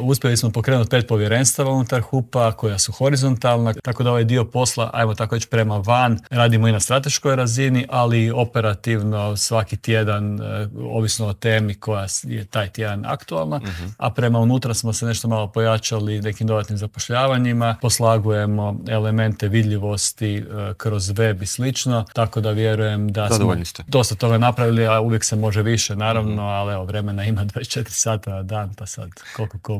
Uspjeli smo pokrenuti 5 povjerenstava unutar HUP-a koja su horizontalna, tako da ovaj dio posla, ajmo tako reći, prema van radimo i na strateškoj razini, ali i operativno svaki tjedan, ovisno o temi koja je taj tjedan aktualna, a prema unutra smo se nešto malo pojačali nekim dodatnim zapošljavanjima, poslagujemo elemente vidljivosti kroz web i slično, tako da vjerujem da smo dosta toga napravili, a uvijek se može više, naravno, ali evo, vremena ima 24 sata na dan, pa sad koliko ko